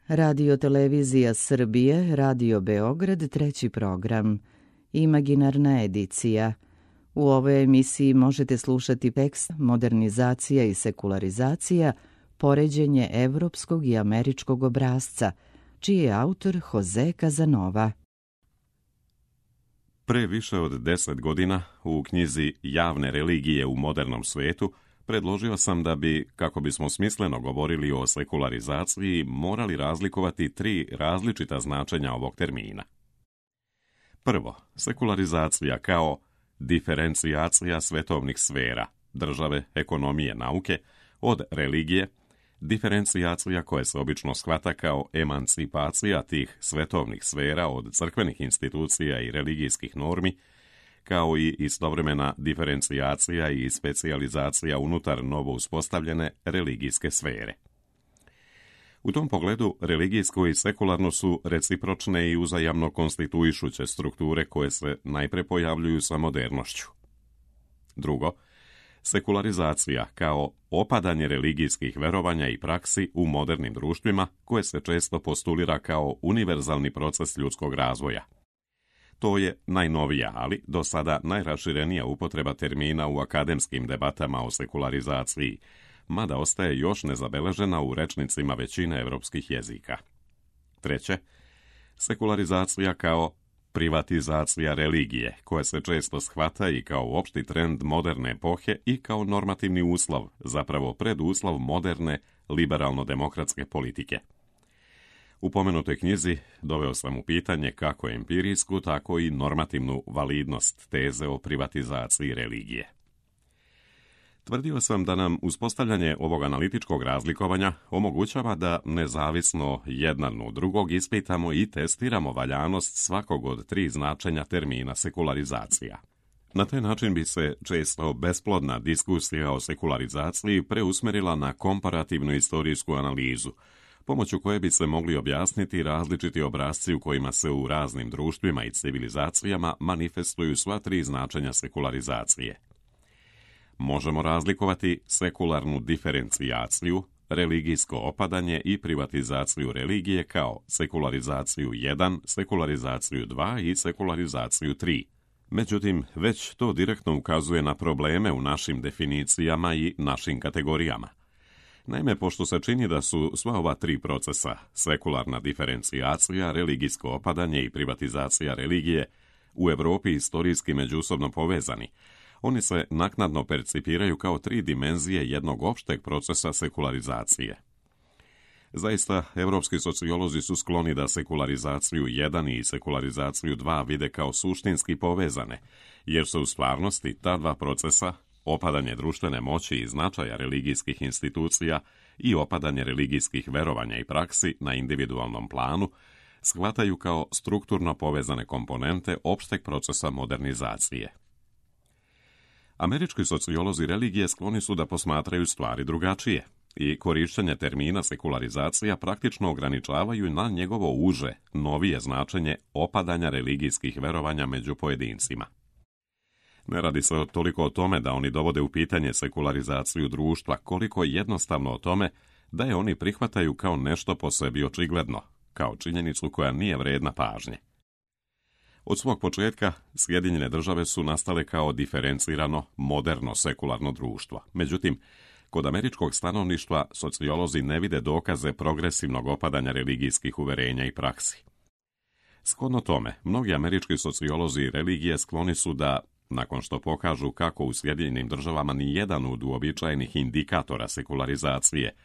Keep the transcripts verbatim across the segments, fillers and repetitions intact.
Radio Televizija Srbije, Radio Beograd, treći program. Imaginarna edicija. U ovoj emisiji možete slušati tekst Modernizacija i sekularizacija, poređenje evropskog i američkog obrasca, čiji je autor Jose Casanova. Pre više od deset godina u knjizi Javne religije u modernom svetu predložio sam da bi, kako bismo smisleno govorili o sekularizaciji, morali razlikovati tri različita značenja ovog termina. Prvo, sekularizacija kao diferencijacija svetovnih sfera, države, ekonomije, nauke, od religije, diferencijacija koja se obično shvata kao emancipacija tih svetovnih sfera od crkvenih institucija i religijskih normi, kao i istovremena diferencijacija i specijalizacija unutar novo uspostavljene religijske sfere. U tom pogledu, religijsko i sekularno su recipročne i uzajamno konstituišuće strukture koje se najpre pojavljuju sa modernošću. Drugo, sekularizacija kao opadanje religijskih verovanja i praksi u modernim društvima koje se često postulira kao univerzalni proces ljudskog razvoja. To je najnovija, ali do sada najraširenija upotreba termina u akademskim debatama o sekularizaciji, mada ostaje još nezabeležena u rečnicima većine evropskih jezika. Treće, sekularizacija kao privatizacija religije, koja se često shvata i kao opšti trend moderne epohe i kao normativni uslov, zapravo preduslov moderne liberalno-demokratske politike. U pomenutoj knjizi doveo sam u pitanje kako empirijsku, tako i normativnu validnost teze o privatizaciji religije. Tvrdio sam da nam uspostavljanje ovog analitičkog razlikovanja omogućava da nezavisno jedan od drugog ispitamo i testiramo valjanost svakog od tri značenja termina sekularizacija. Na taj način bi se često besplodna diskusija o sekularizaciji preusmerila na komparativnu istorijsku analizu, pomoću koje bi se mogli objasniti različiti obrasci u kojima se u raznim društvima i civilizacijama manifestuju sva tri značenja sekularizacije. Možemo razlikovati sekularnu diferencijaciju, religijsko opadanje i privatizaciju religije kao sekularizaciju jedan, sekularizaciju dva i sekularizaciju tri. Međutim, već to direktno ukazuje na probleme u našim definicijama i našim kategorijama. Naime, pošto se čini da su sva ova tri procesa, sekularna diferencijacija, religijsko opadanje i privatizacija religije, u Evropi istorijski međusobno povezani, oni se naknadno percipiraju kao tri dimenzije jednog opšteg procesa sekularizacije. Zaista, evropski sociolozi su skloni da sekularizaciju jedan i sekularizaciju dva vide kao suštinski povezane, jer su u stvarnosti ta dva procesa, opadanje društvene moći i značaja religijskih institucija i opadanje religijskih verovanja i praksi na individualnom planu, shvataju kao strukturno povezane komponente opšteg procesa modernizacije. Američki sociolozi religije skloni su da posmatraju stvari drugačije i korišćenje termina sekularizacija praktično ograničavaju na njegovo uže, novije značenje opadanja religijskih verovanja među pojedincima. Ne radi se toliko o tome da oni dovode u pitanje sekularizaciju društva, koliko jednostavno o tome da je oni prihvataju kao nešto po sebi očigledno, kao činjenicu koja nije vredna pažnje. Od svog početka, Sjedinjene države su nastale kao diferencirano, moderno sekularno društvo. Međutim, kod američkog stanovništva sociolozi ne vide dokaze progresivnog opadanja religijskih uverenja i praksi. Shodno tome, mnogi američki sociolozi religije skloni su da, nakon što pokažu kako u Sjedinjenim državama ni jedan od uobičajenih indikatora sekularizacije,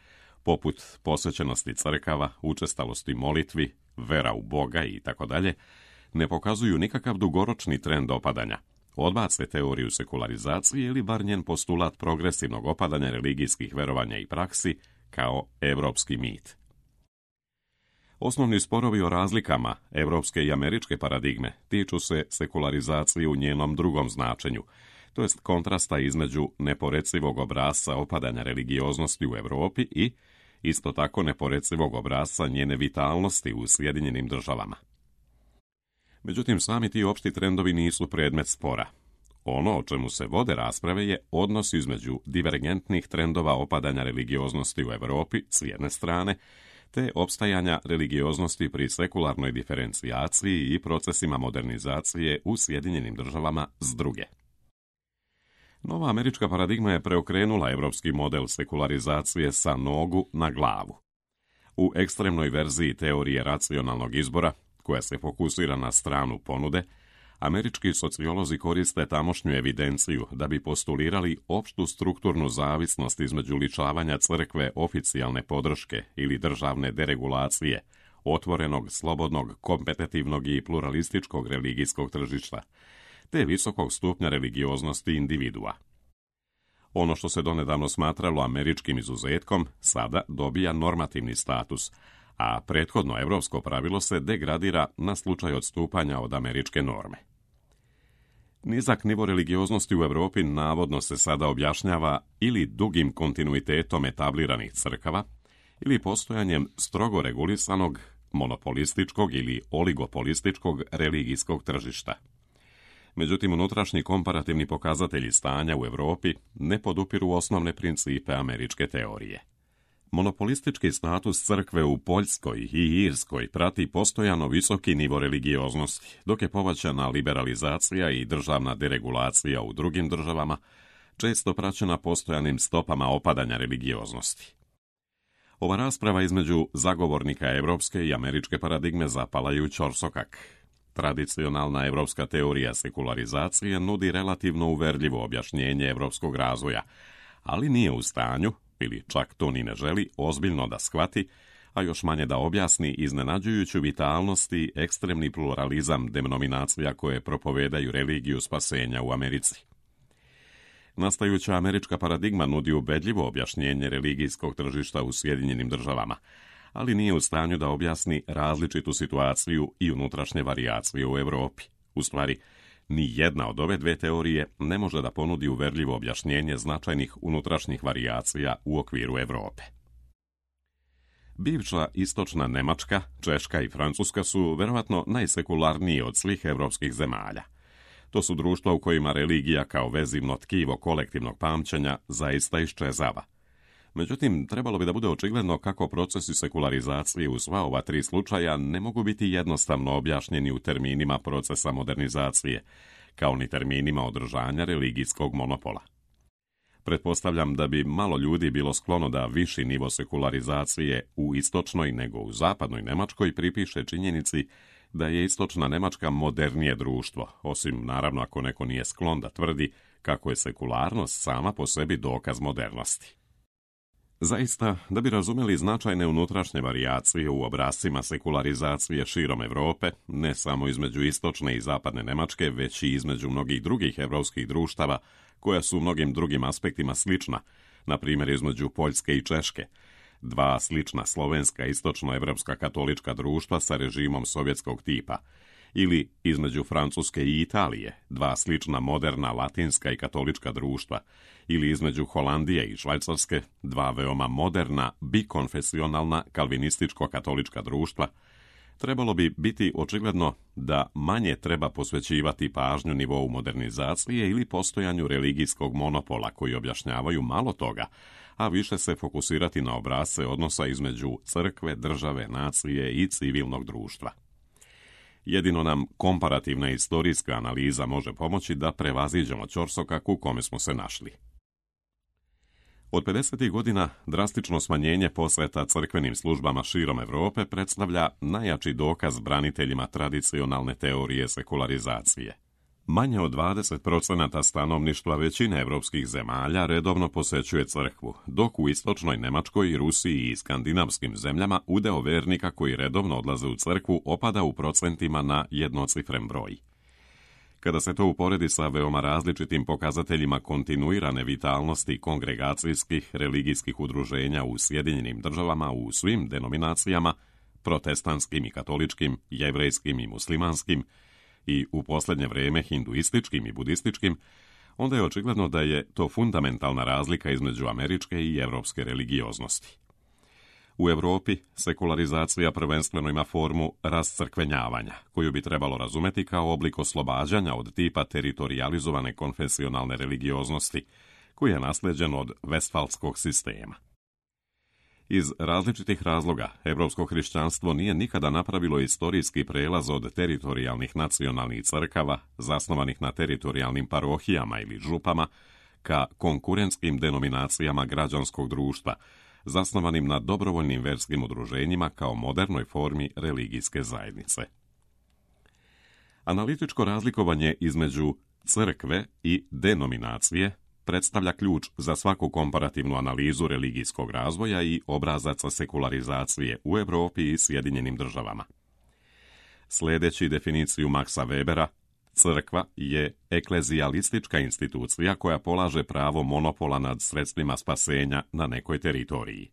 poput posvećenosti crkava, učestalosti molitvi, vera u Boga itd., ne pokazuju nikakav dugoročni trend opadanja, odbace teoriju sekularizacije ili bar njen postulat progresivnog opadanja religijskih verovanja i praksi kao evropski mit. Osnovni sporovi o razlikama evropske i američke paradigme tiču se sekularizacije u njenom drugom značenju, to jest kontrasta između neporecivog obrasca opadanja religioznosti u Evropi i isto tako neporecivog obrasca njene vitalnosti u Sjedinjenim državama. Međutim, sami ti opšti trendovi nisu predmet spora. Ono o čemu se vode rasprave je odnos između divergentnih trendova opadanja religioznosti u Evropi s jedne strane, te opstajanja religioznosti pri sekularnoj diferencijaciji i procesima modernizacije u Sjedinjenim državama s druge. Nova američka paradigma je preokrenula evropski model sekularizacije sa nogu na glavu. U ekstremnoj verziji teorije racionalnog izbora, koja se fokusira na stranu ponude, američki sociolozi koriste tamošnju evidenciju da bi postulirali opštu strukturnu zavisnost između ličavanja crkve oficijalne podrške ili državne deregulacije, otvorenog, slobodnog, kompetitivnog i pluralističkog religijskog tržišta, te visokog stupnja religioznosti individua. Ono što se donedavno smatralo američkim izuzetkom, sada dobija normativni status, a prethodno evropsko pravilo se degradira na slučaj odstupanja od američke norme. Nizak nivo religioznosti u Evropi navodno se sada objašnjava ili dugim kontinuitetom etabliranih crkava, ili postojanjem strogo regulisanog, monopolističkog ili oligopolističkog religijskog tržišta. Međutim, unutrašnji komparativni pokazatelji stanja u Evropi ne podupiru osnovne principe američke teorije. Monopolistički status crkve u Poljskoj i Irskoj prati postojano visoki nivo religioznosti, dok je povećana liberalizacija i državna deregulacija u drugim državama, često praćena postojanim stopama opadanja religioznosti. Ova rasprava između zagovornika evropske i američke paradigme zapala je u ćorsokak. Tradicionalna evropska teorija sekularizacije nudi relativno uverljivo objašnjenje evropskog razvoja, ali nije u stanju, ili čak to ni ne želi, ozbiljno da shvati, a još manje da objasni iznenađujuću vitalnost i ekstremni pluralizam denominacija koje propovedaju religiju spasenja u Americi. Nastajuća američka paradigma nudi ubedljivo objašnjenje religijskog tržišta u Sjedinjenim državama, ali nije u stanju da objasni različitu situaciju i unutrašnje varijacije u Evropi. U stvari, ni jedna od ove dve teorije ne može da ponudi uverljivo objašnjenje značajnih unutrašnjih varijacija u okviru Evrope. Bivša istočna Nemačka, Češka i Francuska su verovatno najsekularnije od svih evropskih zemalja. To su društva u kojima religija kao vezivno tkivo kolektivnog pamćenja zaista iščezava. Međutim, trebalo bi da bude očigledno kako procesi sekularizacije u sva ova tri slučaja ne mogu biti jednostavno objašnjeni u terminima procesa modernizacije, kao ni terminima održanja religijskog monopola. Pretpostavljam da bi malo ljudi bilo sklono da viši nivo sekularizacije u istočnoj nego u zapadnoj Nemačkoj pripiše činjenici da je istočna Nemačka modernije društvo, osim naravno ako neko nije sklon da tvrdi kako je sekularnost sama po sebi dokaz modernosti. Zaista, da bi razumjeli značajne unutrašnje varijacije u obrascima sekularizacije širom Evrope, ne samo između istočne i zapadne Nemačke, već i između mnogih drugih evropskih društava, koja su u mnogim drugim aspektima slična, na primjer između Poljske i Češke, dva slična slovenska istočnoevropska katolička društva sa režimom sovjetskog tipa, ili između Francuske i Italije, dva slična moderna latinska i katolička društva, ili između Holandije i Švajcarske, dva veoma moderna bikonfesionalna kalvinističko-katolička društva, trebalo bi biti očigledno da manje treba posvećivati pažnju nivou modernizacije ili postojanju religijskog monopola koji objašnjavaju malo toga, a više se fokusirati na obrasce odnosa između crkve, države, nacije i civilnog društva. Jedino nam komparativna istorijska analiza može pomoći da prevaziđemo ćorsokak u kome smo se našli. Od pedesetih godina drastično smanjenje posveta crkvenim službama širom Evrope predstavlja najjači dokaz braniteljima tradicionalne teorije sekularizacije. Manje od dvadeset procenata stanovništva većine evropskih zemalja redovno posećuje crkvu, dok u istočnoj Nemačkoj, Rusiji i skandinavskim zemljama udeo vernika koji redovno odlaze u crkvu opada u procentima na jednocifren broj. Kada se to uporedi sa veoma različitim pokazateljima kontinuirane vitalnosti kongregacijskih religijskih udruženja u Sjedinjenim državama u svim denominacijama, protestantskim i katoličkim, jevrejskim i muslimanskim, i u posljednje vrijeme hinduističkim i budističkim, onda je očigledno da je to fundamentalna razlika između američke i evropske religioznosti. U Evropi sekularizacija prvenstveno ima formu rascrkvenjavanja, koju bi trebalo razumeti kao oblik oslobađanja od tipa teritorijalizovane konfesionalne religioznosti, koji je naslijeđen od vestfalskog sistema. Iz različitih razloga, evropsko hrišćanstvo nije nikada napravilo istorijski prelaz od teritorijalnih nacionalnih crkava, zasnovanih na teritorijalnim parohijama ili župama, ka konkurentskim denominacijama građanskog društva, zasnovanim na dobrovoljnim verskim udruženjima kao modernoj formi religijske zajednice. Analitičko razlikovanje između crkve i denominacije predstavlja ključ za svaku komparativnu analizu religijskog razvoja i obrazaca sekularizacije u Europi i Sjedinjenim državama. Sljedeći definiciju Maxa Webera, crkva je eklezijalistička institucija koja polaže pravo monopola nad sredstvima spasenja na nekoj teritoriji.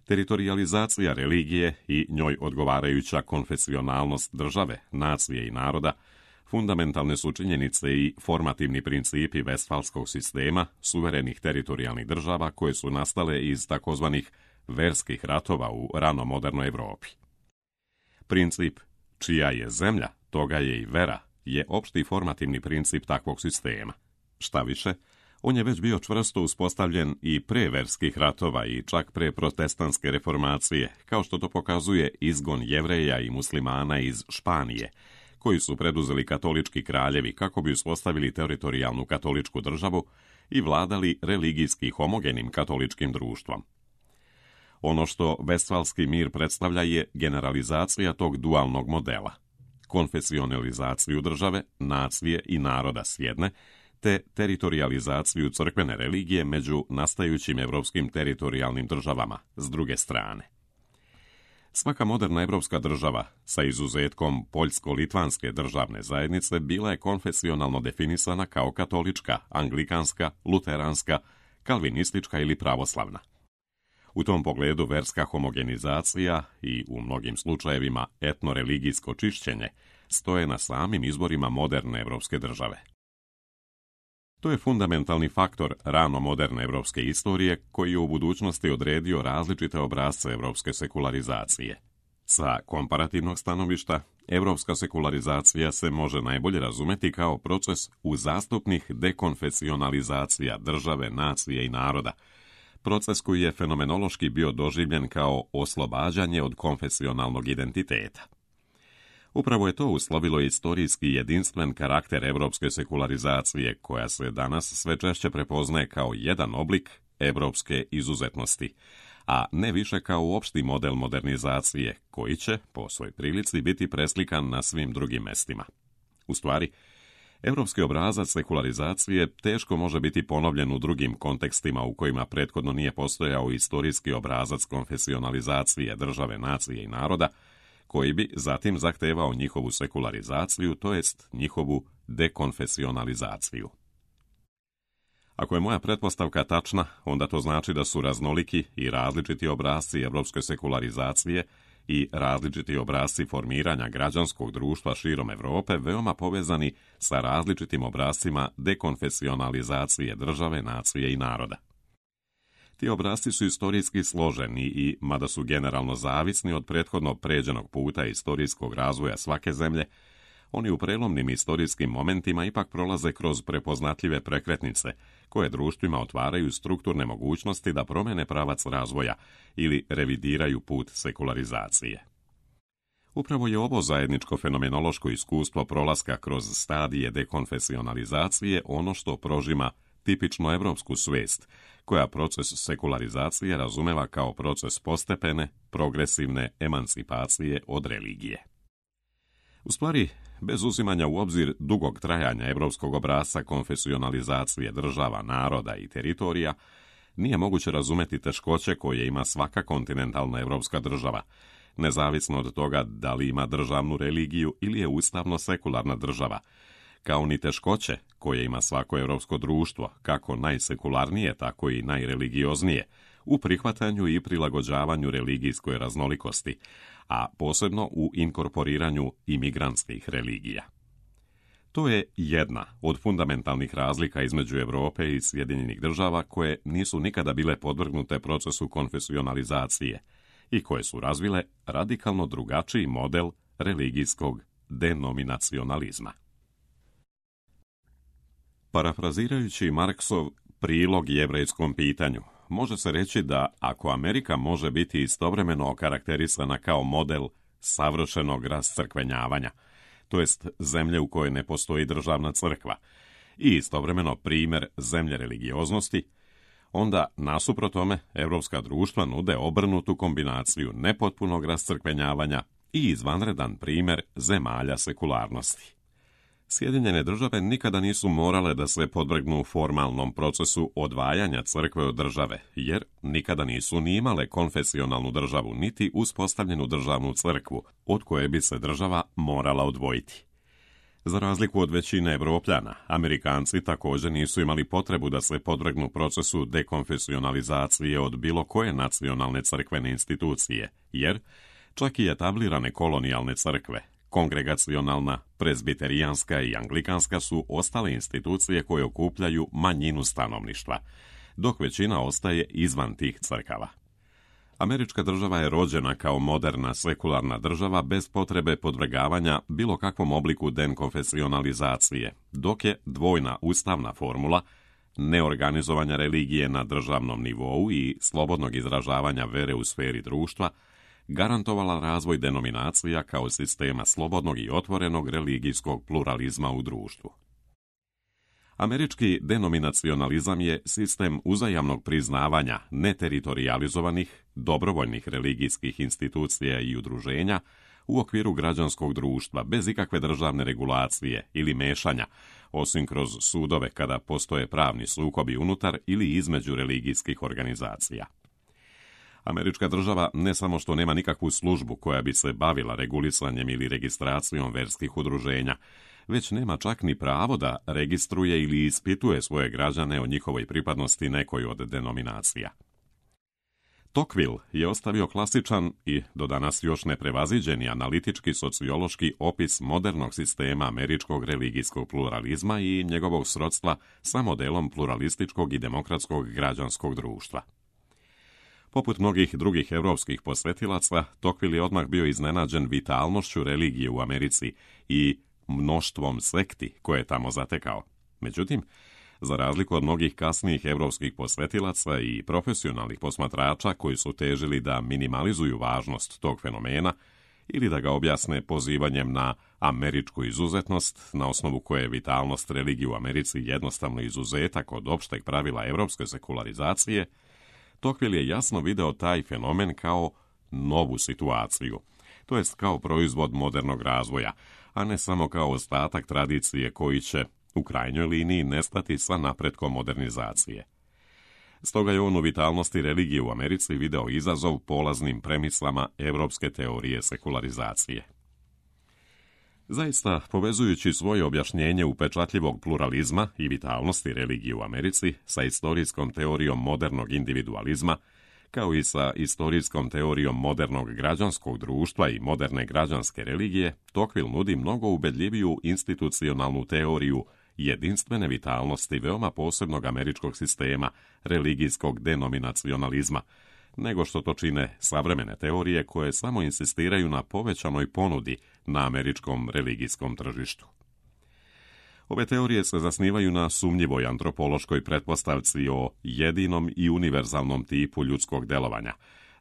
Teritorijalizacija religije i njoj odgovarajuća konfesionalnost države, nacije i naroda fundamentalne su činjenice i formativni principi Vestfalskog sistema suverenih teritorijalnih država koje su nastale iz takozvanih verskih ratova u ranomodernoj Europi. Princip čija je zemlja, toga je i vera, je opšti formativni princip takvog sistema. Šta više, on je već bio čvrsto uspostavljen i pre verskih ratova i čak pre protestantske reformacije, kao što to pokazuje izgon Jevreja i muslimana iz Španije, koji su preduzeli katolički kraljevi kako bi uspostavili teritorijalnu katoličku državu i vladali religijski homogenim katoličkim društvom. Ono što Vestfalski mir predstavlja je generalizacija tog dualnog modela, konfesionalizaciju države, nacije i naroda s jedne, te teritorijalizaciju crkvene religije među nastajućim evropskim teritorijalnim državama s druge strane. Svaka moderna evropska država, sa izuzetkom poljsko-litvanske državne zajednice, bila je konfesionalno definisana kao katolička, anglikanska, luteranska, kalvinistička ili pravoslavna. U tom pogledu verska homogenizacija i, u mnogim slučajevima, etnoreligijsko čišćenje stoje na samim izborima moderne evropske države. To je fundamentalni faktor rano moderne evropske istorije koji je u budućnosti odredio različite obrasce evropske sekularizacije. Sa komparativnog stanovišta, evropska sekularizacija se može najbolje razumeti kao proces uzastopnih dekonfesionalizacija države, nacije i naroda, proces koji je fenomenološki bio doživljen kao oslobađanje od konfesionalnog identiteta. Upravo je to uslovilo istorijski jedinstven karakter evropske sekularizacije, koja se danas sve češće prepoznaje kao jedan oblik evropske izuzetnosti, a ne više kao opšti model modernizacije, koji će, po svoj prilici, biti preslikan na svim drugim mestima. U stvari, evropski obrazac sekularizacije teško može biti ponovljen u drugim kontekstima u kojima prethodno nije postojao istorijski obrazac konfesionalizacije države, nacije i naroda, koji bi zatim zahtevao njihovu sekularizaciju, to jest njihovu dekonfesionalizaciju. Ako je moja pretpostavka tačna, onda to znači da su raznoliki i različiti obrasci evropske sekularizacije i različiti obrasci formiranja građanskog društva širom Evrope veoma povezani sa različitim obrascima dekonfesionalizacije države, nacije i naroda. Ti obrasci su istorijski složeni i, mada su generalno zavisni od prethodno pređenog puta istorijskog razvoja svake zemlje, oni u prelomnim istorijskim momentima ipak prolaze kroz prepoznatljive prekretnice, koje društvima otvaraju strukturne mogućnosti da promene pravac razvoja ili revidiraju put sekularizacije. Upravo je ovo zajedničko fenomenološko iskustvo prolaska kroz stadije dekonfesionalizacije ono što prožima tipično evropsku svest, koja proces sekularizacije razumeva kao proces postepene, progresivne emancipacije od religije. U stvari, bez uzimanja u obzir dugog trajanja evropskog obrasca konfesionalizacije država, naroda i teritorija, nije moguće razumeti teškoće koje ima svaka kontinentalna evropska država, nezavisno od toga da li ima državnu religiju ili je ustavno sekularna država, kao ni teškoće koje ima svako evropsko društvo, kako najsekularnije, tako i najreligioznije, u prihvatanju i prilagođavanju religijskoj raznolikosti, a posebno u inkorporiranju imigrantskih religija. To je jedna od fundamentalnih razlika između Evrope i Sjedinjenih država koje nisu nikada bile podvrgnute procesu konfesionalizacije i koje su razvile radikalno drugačiji model religijskog denominacionalizma. Parafrazirajući Marksov prilog jevrejskom pitanju, može se reći da ako Amerika može biti istovremeno okarakterisana kao model savršenog rascrkvenjavanja, to jest zemlje u kojoj ne postoji državna crkva, i istovremeno primjer zemlje religioznosti, onda, nasuprot tome, evropska društva nude obrnutu kombinaciju nepotpunog rascrkvenjavanja i izvanredan primjer zemalja sekularnosti. Sjedinjene države nikada nisu morale da se podvrgnu formalnom procesu odvajanja crkve od države, jer nikada nisu ni imale konfesionalnu državu niti uspostavljenu državnu crkvu, od koje bi se država morala odvojiti. Za razliku od većine Evropljana, Amerikanci također nisu imali potrebu da se podvrgnu procesu dekonfesionalizacije od bilo koje nacionalne crkvene institucije, jer čak i etablirane kolonijalne crkve, kongregacionalna, prezbiterijanska i anglikanska su ostale institucije koje okupljaju manjinu stanovništva, dok većina ostaje izvan tih crkava. Američka država je rođena kao moderna sekularna država bez potrebe podvrgavanja bilo kakvom obliku dekonfesionalizacije, dok je dvojna ustavna formula neorganizovanja religije na državnom nivou i slobodnog izražavanja vere u sferi društva garantovala razvoj denominacija kao sistema slobodnog i otvorenog religijskog pluralizma u društvu. Američki denominacionalizam je sistem uzajamnog priznavanja neteritorijalizovanih, dobrovoljnih religijskih institucija i udruženja u okviru građanskog društva bez ikakve državne regulacije ili mešanja, osim kroz sudove kada postoje pravni sukobi unutar ili između religijskih organizacija. Američka država ne samo što nema nikakvu službu koja bi se bavila regulisanjem ili registracijom verskih udruženja, već nema čak ni pravo da registruje ili ispituje svoje građane o njihovoj pripadnosti nekoj od denominacija. Tocqueville je ostavio klasičan i do danas još neprevaziđeni analitički sociološki opis modernog sistema američkog religijskog pluralizma i njegovog srodstva sa modelom pluralističkog i demokratskog građanskog društva. Poput mnogih drugih evropskih posvetilaca, Tocqueville je odmah bio iznenađen vitalnošću religije u Americi i mnoštvom sekti koje je tamo zatekao. Međutim, za razliku od mnogih kasnijih evropskih posvetilaca i profesionalnih posmatrača koji su težili da minimalizuju važnost tog fenomena ili da ga objasne pozivanjem na američku izuzetnost, na osnovu koje je vitalnost religije u Americi jednostavno izuzetak od opšteg pravila evropske sekularizacije, Tocqueville je jasno video taj fenomen kao novu situaciju, to jest kao proizvod modernog razvoja, a ne samo kao ostatak tradicije koji će, u krajnjoj liniji, nestati sa napretkom modernizacije. Stoga je on u vitalnosti religije u Americi video izazov polaznim premislama evropske teorije sekularizacije. Zaista, povezujući svoje objašnjenje upečatljivog pluralizma i vitalnosti religije u Americi sa istorijskom teorijom modernog individualizma, kao i sa istorijskom teorijom modernog građanskog društva i moderne građanske religije, Tocqueville nudi mnogo ubedljiviju institucionalnu teoriju jedinstvene vitalnosti veoma posebnog američkog sistema religijskog denominacionalizma, nego što to čine savremene teorije koje samo insistiraju na povećanoj ponudi na američkom religijskom tržištu. Ove teorije se zasnivaju na sumnjivoj antropološkoj pretpostavci o jedinom i univerzalnom tipu ljudskog delovanja,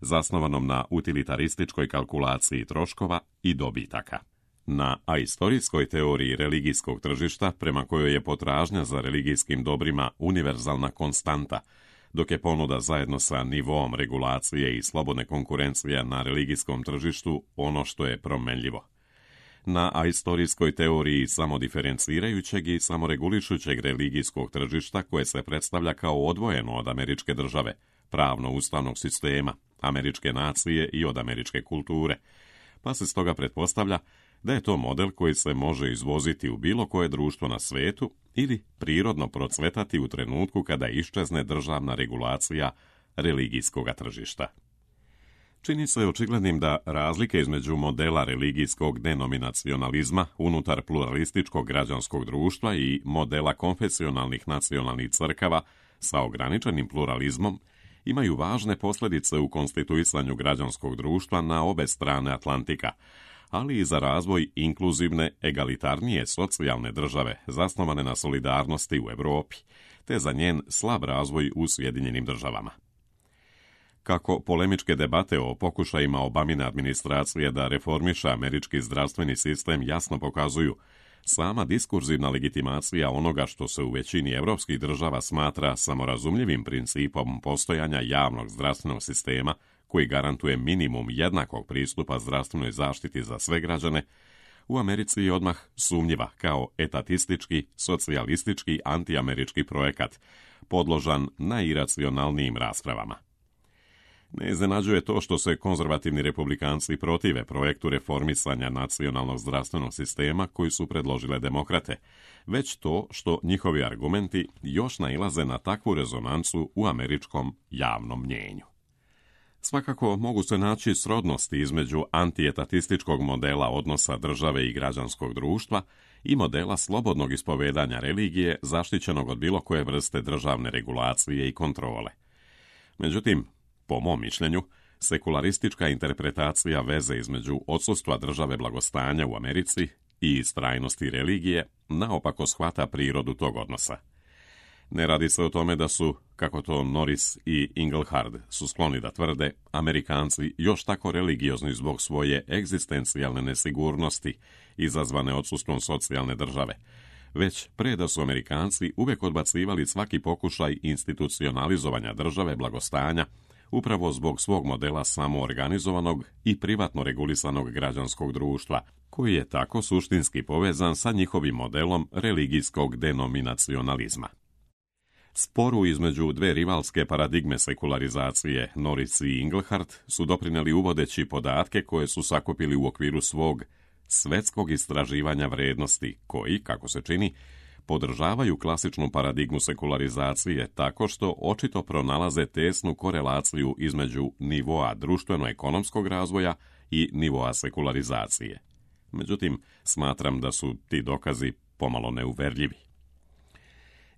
zasnovanom na utilitarističkoj kalkulaciji troškova i dobitaka. Na aistorijskoj teoriji religijskog tržišta, prema kojoj je potražnja za religijskim dobrima univerzalna konstanta, dok je ponuda zajedno sa nivoom regulacije i slobodne konkurencije na religijskom tržištu ono što je promenljivo. Na aistorijskoj teoriji samodiferencirajućeg i samoregulišućeg religijskog tržišta koje se predstavlja kao odvojeno od američke države, pravno-ustavnog sistema, američke nacije i od američke kulture, pa se stoga pretpostavlja da je to model koji se može izvoziti u bilo koje društvo na svetu ili prirodno procvetati u trenutku kada iščezne državna regulacija religijskog tržišta. Čini se očiglednim da razlike između modela religijskog denominacionalizma unutar pluralističkog građanskog društva i modela konfesionalnih nacionalnih crkava sa ograničenim pluralizmom imaju važne posljedice u konstituisanju građanskog društva na obe strane Atlantika, ali i za razvoj inkluzivne, egalitarnije socijalne države zasnovane na solidarnosti u Europi, te za njen slab razvoj u Sjedinjenim državama. Kako polemičke debate o pokušajima Obamine administracije da reformiša američki zdravstveni sistem jasno pokazuju, sama diskurzivna legitimacija onoga što se u većini evropskih država smatra samorazumljivim principom postojanja javnog zdravstvenog sistema koji garantuje minimum jednakog pristupa zdravstvenoj zaštiti za sve građane, u Americi je odmah sumnjiva kao etatistički, socijalistički, antiamerički projekat, podložan najiracionalnijim raspravama. Ne iznenađuje to što se konzervativni republikanci protive projektu reformisanja nacionalnog zdravstvenog sistema koji su predložile demokrate, već to što njihovi argumenti još nailaze na takvu rezonancu u američkom javnom mnjenju. Svakako mogu se naći srodnosti između antietatističkog modela odnosa države i građanskog društva i modela slobodnog ispovedanja religije zaštićenog od bilo koje vrste državne regulacije i kontrole. Međutim, po mom mišljenju, sekularistička interpretacija veze između odsustva države blagostanja u Americi i istrajnosti religije naopako shvata prirodu tog odnosa. Ne radi se o tome da su, kako to Norris i Inglehart su skloni da tvrde, Amerikanci još tako religiozni zbog svoje egzistencijalne nesigurnosti izazvane odsustvom socijalne države, već pre da su Amerikanci uvek odbacivali svaki pokušaj institucionalizovanja države blagostanja upravo zbog svog modela samoorganizovanog i privatno regulisanog građanskog društva, koji je tako suštinski povezan sa njihovim modelom religijskog denominacionalizma. Sporu između dve rivalske paradigme sekularizacije, Norris i Inglehart, su doprineli uvodeći podatke koje su sakupili u okviru svog svetskog istraživanja vrednosti, koji, kako se čini, podržavaju klasičnu paradigmu sekularizacije tako što očito pronalaze tesnu korelaciju između nivoa društveno-ekonomskog razvoja i nivoa sekularizacije. Međutim, smatram da su ti dokazi pomalo neuverljivi.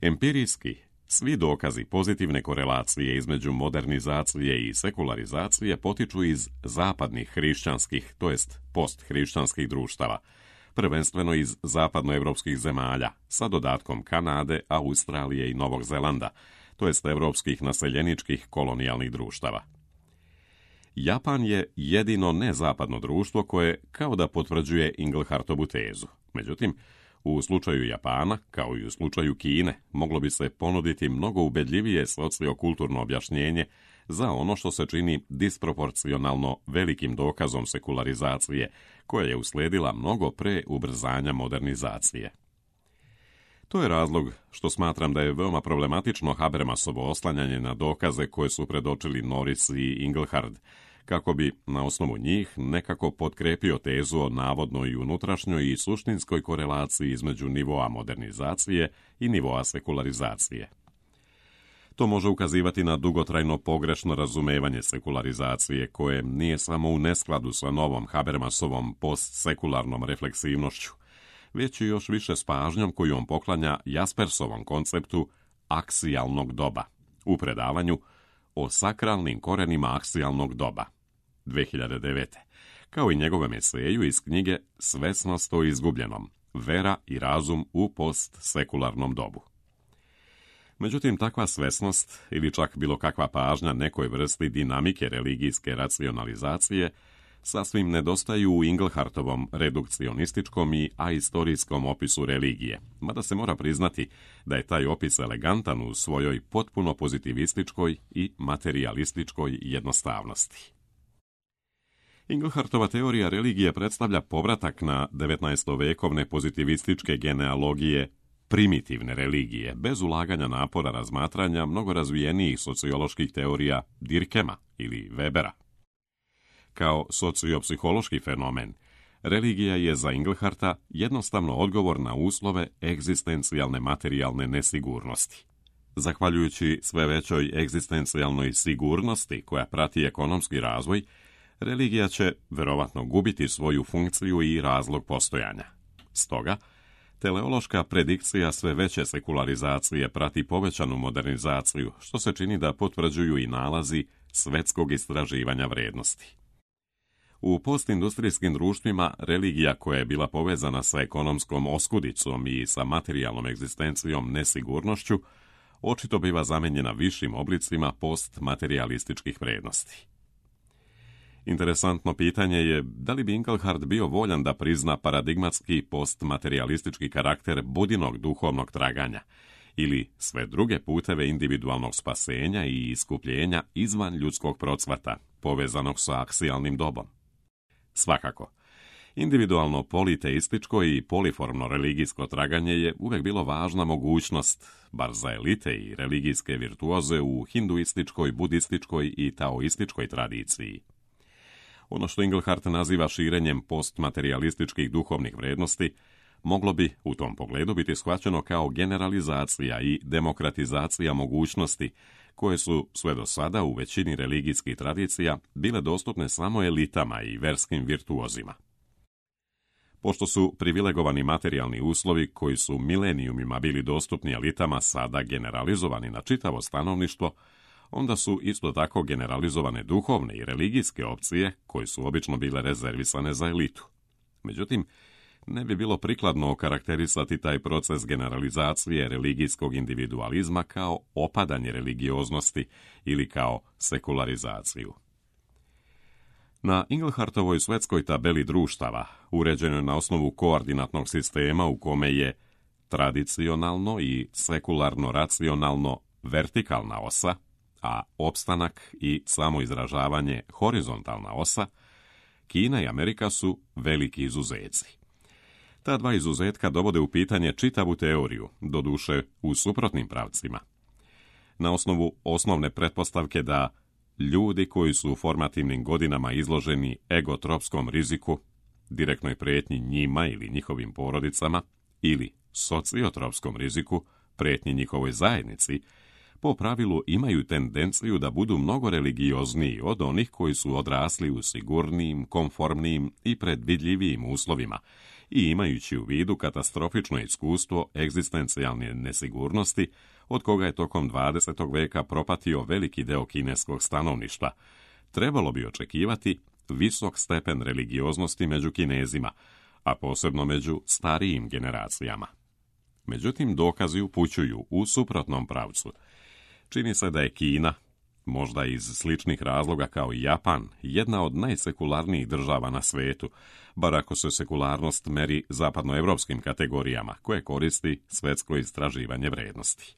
Empirijski, svi dokazi pozitivne korelacije između modernizacije i sekularizacije potiču iz zapadnih hrišćanskih, to jest posthrišćanskih društava, prvenstveno iz zapadnoevropskih zemalja, sa dodatkom Kanade, Australije i Novog Zelanda, to jest evropskih naseljeničkih kolonijalnih društava. Japan je jedino nezapadno društvo koje kao da potvrđuje Inglehartovu tezu. Međutim, u slučaju Japana, kao i u slučaju Kine, moglo bi se ponuditi mnogo ubedljivije sociokulturno objašnjenje za ono što se čini disproporcionalno velikim dokazom sekularizacije, koja je uslijedila mnogo pre ubrzanja modernizacije. To je razlog što smatram da je veoma problematično Habermasovo oslanjanje na dokaze koje su predočili Norris i Inglehart, kako bi na osnovu njih nekako potkrepio tezu o navodnoj unutrašnjoj i suštinskoj korelaciji između nivoa modernizacije i nivoa sekularizacije. To može ukazivati na dugotrajno pogrešno razumevanje sekularizacije koje nije samo u neskladu sa novom Habermasovom postsekularnom refleksivnošću, već i još više s pažnjom koju on poklanja Jaspersovom konceptu aksijalnog doba u predavanju o sakralnim korenima aksijalnog doba dve hiljade devete. kao i njegovom eseju iz knjige Svesnost o izgubljenom, vera i razum u postsekularnom dobu. Međutim, takva svesnost ili čak bilo kakva pažnja nekoj vrsti dinamike religijske racionalizacije sasvim nedostaju u Inglehartovom redukcionističkom i ahistorijskom opisu religije, mada se mora priznati da je taj opis elegantan u svojoj potpuno pozitivističkoj i materialističkoj jednostavnosti. Inglehartova teorija religije predstavlja povratak na devetnaestovekovne pozitivističke genealogije primitivne religije, bez ulaganja napora razmatranja mnogo razvijenijih socioloških teorija Dirkema ili Webera. Kao sociopsihološki fenomen, religija je za Ingleharta jednostavno odgovor na uslove egzistencijalne materijalne nesigurnosti. Zahvaljujući sve većoj egzistencijalnoj sigurnosti koja prati ekonomski razvoj, religija će verovatno gubiti svoju funkciju i razlog postojanja. Stoga, teleološka predikcija sve veće sekularizacije prati povećanu modernizaciju, što se čini da potvrđuju i nalazi svetskog istraživanja vrednosti. U postindustrijskim društvima religija koja je bila povezana sa ekonomskom oskudicom i sa materijalnom egzistencijom nesigurnošću očito biva zamenjena višim oblicima postmaterijalističkih vrijednosti. Interesantno pitanje je da li bi Inglehart bio voljan da prizna paradigmatski postmaterijalistički karakter budinog duhovnog traganja ili sve druge puteve individualnog spasenja i iskupljenja izvan ljudskog procvata, povezanog sa aksijalnim dobom. Svakako, individualno politeističko i poliformno religijsko traganje je uvijek bilo važna mogućnost, bar za elite i religijske virtuoze u hinduističkoj, budističkoj i taoističkoj tradiciji. Ono što Inglehart naziva širenjem postmaterijalističkih duhovnih vrijednosti moglo bi u tom pogledu biti shvaćeno kao generalizacija i demokratizacija mogućnosti koje su sve do sada u većini religijskih tradicija bile dostupne samo elitama i verskim virtuozima. Pošto su privilegovani materijalni uslovi koji su milenijumima bili dostupni elitama sada generalizovani na čitavo stanovništvo, onda su isto tako generalizovane duhovne i religijske opcije koje su obično bile rezervisane za elitu. Međutim, ne bi bilo prikladno okarakterisati taj proces generalizacije religijskog individualizma kao opadanje religioznosti ili kao sekularizaciju. Na Inglehartovoj svetskoj tabeli društava, uređenoj na osnovu koordinatnog sistema u kome je tradicionalno i sekularno-racionalno vertikalna osa, a opstanak i samoizražavanje horizontalna osa, Kina i Amerika su veliki izuzeci. Ta dva izuzetka dovode u pitanje čitavu teoriju, doduše u suprotnim pravcima. Na osnovu osnovne pretpostavke da ljudi koji su u formativnim godinama izloženi egotropskom riziku, direktnoj prijetnji njima ili njihovim porodicama, ili sociotropskom riziku, prijetnji njihovoj zajednici, po pravilu imaju tendenciju da budu mnogo religiozniji od onih koji su odrasli u sigurnijim, konformnijim i predvidljivijim uslovima i imajući u vidu katastrofično iskustvo egzistencijalne nesigurnosti od koga je tokom dvadesetog veka propatio veliki deo kineskog stanovništva, trebalo bi očekivati visok stepen religioznosti među Kinezima, a posebno među starijim generacijama. Međutim, dokazi upućuju u suprotnom pravcu. Čini se da je Kina, možda iz sličnih razloga kao i Japan, jedna od najsekularnijih država na svetu, bar ako se sekularnost meri zapadnoevropskim kategorijama koje koristi svetsko istraživanje vrijednosti.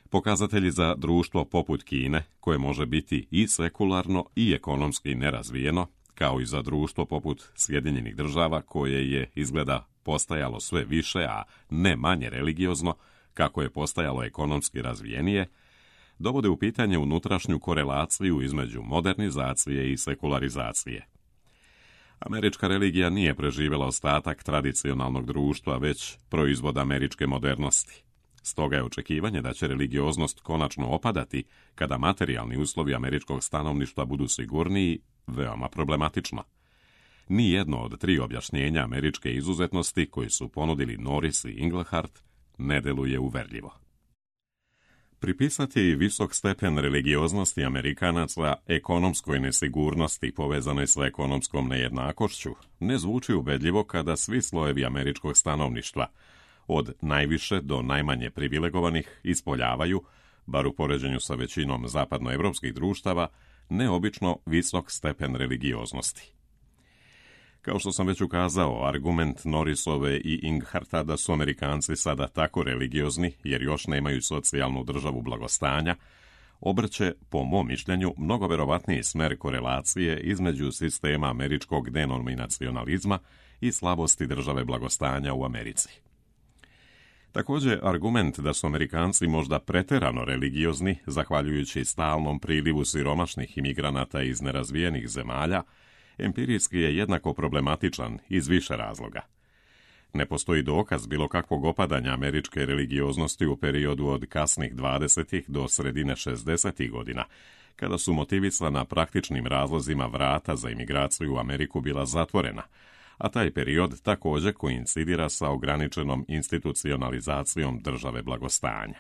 Pokazatelji za društvo poput Kine, koje može biti i sekularno i ekonomski nerazvijeno, kao i za društvo poput Sjedinjenih država koje je izgleda postajalo sve više, a ne manje religiozno, kako je postajalo ekonomski razvijenije, dovode u pitanje unutrašnju korelaciju između modernizacije i sekularizacije. Američka religija nije preživjela ostatak tradicionalnog društva, već proizvod američke modernosti. Stoga je očekivanje da će religioznost konačno opadati kada materijalni uslovi američkog stanovništva budu sigurniji veoma problematično. Nijedno od tri objašnjenja američke izuzetnosti koji su ponudili Norris i Inglehart ne deluje uverljivo. Pripisati visok stepen religioznosti Amerikanaca ekonomskoj nesigurnosti povezanoj sa ekonomskom nejednakošću ne zvuči ubedljivo kada svi slojevi američkog stanovništva, od najviše do najmanje privilegovanih, ispoljavaju, bar u poređenju sa većinom zapadnoevropskih društava, neobično visok stepen religioznosti. Kao što sam već ukazao, argument Norrisove i Ingharta da su Amerikanci sada tako religiozni jer još nemaju socijalnu državu blagostanja, obrće, po mom mišljenju, mnogo verovatniji smer korelacije između sistema američkog denominacionalizma i slabosti države blagostanja u Americi. Također, argument da su Amerikanci možda preterano religiozni, zahvaljujući stalnom prilivu siromašnih imigranata iz nerazvijenih zemalja, empirijski je jednako problematičan iz više razloga. Ne postoji dokaz bilo kakvog opadanja američke religioznosti u periodu od kasnih dvadesetih do sredine šezdesetih godina, kada su motivisana praktičnim razlozima vrata za imigraciju u Ameriku bila zatvorena, a taj period također koincidira sa ograničenom institucionalizacijom države blagostanja.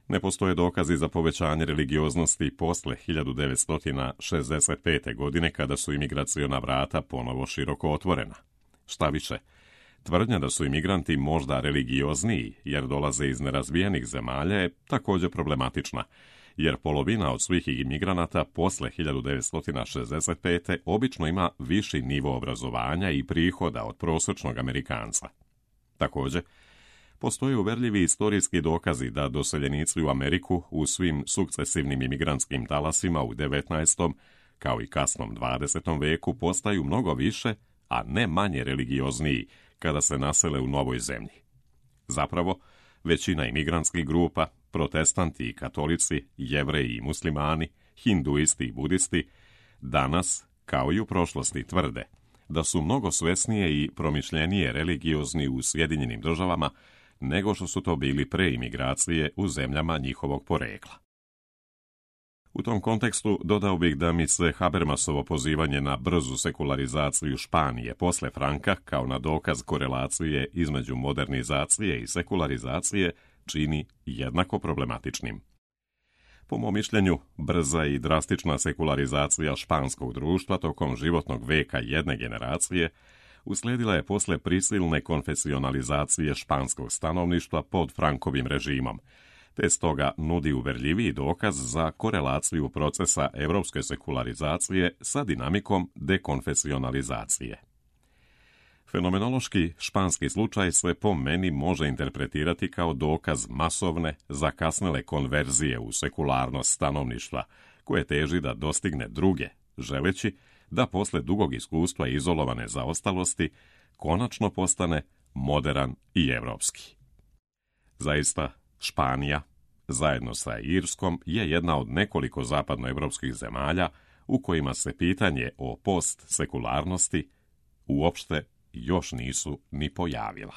Ne postoje dokazi za povećanje religioznosti posle hiljadu devetsto šezdeset pete. godine kada su imigraciona vrata ponovo široko otvorena. Šta više, Tvrdnja da su imigranti možda religiozniji jer dolaze iz nerazvijenih zemalja je također problematična, jer polovina od svih imigranata posle hiljadu devetsto šezdeset pete. obično ima viši nivo obrazovanja i prihoda od prosječnog Amerikanca. Također, postoje uverljivi istorijski dokazi da doseljenici u Ameriku u svim sukcesivnim imigrantskim talasima u devetnaestom kao i kasnom dvadesetom veku postaju mnogo više, a ne manje religiozniji kada se nasele u novoj zemlji. Zapravo, većina imigrantskih grupa, protestanti i katolici, jevreji i muslimani, hinduisti i budisti, danas, kao i u prošlosti, tvrde da su mnogo svesnije i promišljenije religiozni u Sjedinjenim državama nego što su to bili pre imigracije u zemljama njihovog porekla. U tom kontekstu dodao bih da mi se Habermasovo pozivanje na brzu sekularizaciju Španije posle Franka kao na dokaz korelacije između modernizacije i sekularizacije čini jednako problematičnim. Po mom mišljenju, brza i drastična sekularizacija španskog društva tokom životnog veka jedne generacije uslijedila je posle prisilne konfesionalizacije španskog stanovništva pod Frankovim režimom, te stoga nudi uverljiviji dokaz za korelaciju procesa evropske sekularizacije sa dinamikom dekonfesionalizacije. Fenomenološki španski slučaj se po meni može interpretirati kao dokaz masovne, zakasnele konverzije u sekularnost stanovništva, koje teži da dostigne druge, želeći da posle dugog iskustva izolovane zaostalosti konačno postane moderan i evropski. Zaista, Španija, zajedno sa Irskom, je jedna od nekoliko zapadnoevropskih zemalja u kojima se pitanje o postsekularnosti uopšte još nisu ni pojavila.